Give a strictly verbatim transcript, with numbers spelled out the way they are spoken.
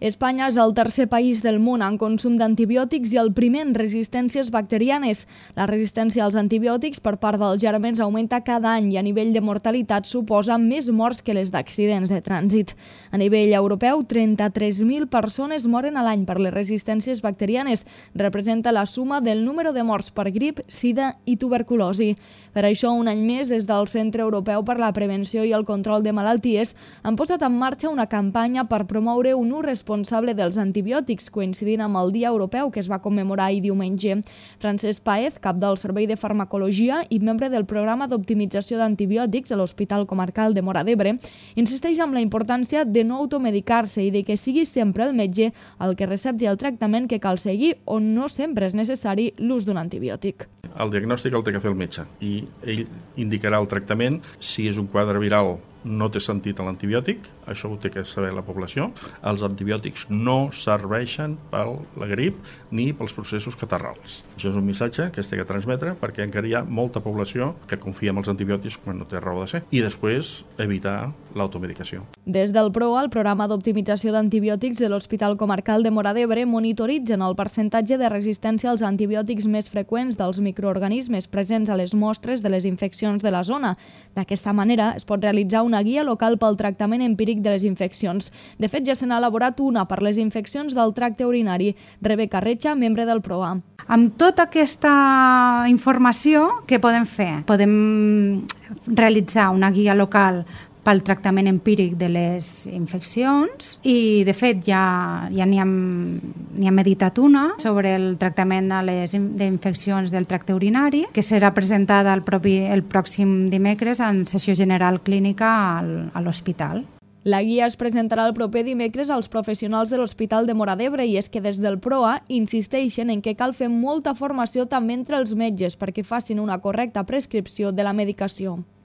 Espanya és el tercer país del món en consum d'antibiòtics i el primer en resistències bacterianes. La resistència als antibiòtics per part dels germans augmenta cada any i a nivell de mortalitat suposa més morts que les d'accidents de trànsit. A nivell europeu, trenta-tres mil persones moren a l'any per les resistències bacterianes. Representa la suma del número de morts per grip, sida i tuberculosi. Per això, un any més, des del Centre Europeu per la Prevenció i el Control de Malalties, han posat en marxa una campanya per promoure un ús responsable dels antibiòtics, coincidint amb el Dia Europeu que es va commemorar ahir diumenge. Francesc Paez, cap del Servei de Farmacologia i membre del programa d'optimització d'antibiòtics a l'Hospital Comarcal de Móra d'Ebre, insisteix en la importància de no automedicar-se i de que sigui sempre el metge el que recepti el tractament que cal seguir, on no sempre és necessari l'ús d'un antibiòtic. El diagnòstic el té que fer el metge i ell indicarà el tractament. Si és un quadre viral, no té sentit l'antibiòtic, això ho té que saber la població. Els antibiòtics no serveixen per la grip ni pels processos catarrals. Això és un missatge que es té que transmetre perquè encara hi ha molta població que confia en els antibiòtics quan no té raó de ser. I després evitar l'automedicació. Des del P R O A, el programa d'optimització d'antibiòtics de l'Hospital Comarcal de Móra d'Ebre, monitoritzen el percentatge de resistència als antibiòtics més freqüents dels microorganismes presents a les mostres de les infeccions de la zona. D'aquesta manera es pot realitzar una guia local pel tractament empíric de les infeccions. De fet, ja se n'ha elaborat una per les infeccions del tracte urinari. Rebeca Retxa, membre del P R O A. Amb tota aquesta informació, què podem fer? Podem realitzar una guia local pel tractament empíric de les infeccions i, de fet, ja ja n'hi hem, n'hi hem editat una sobre el tractament a les infeccions del tracte urinari, que serà presentada el, propi, el pròxim dimecres en sessió general clínica al, a l'hospital. La guia es presentarà el proper dimecres als professionals de l'Hospital de Móra d'Ebre i és que des del P R O A insisteixen en que cal fer molta formació també entre els metges perquè facin una correcta prescripció de la medicació.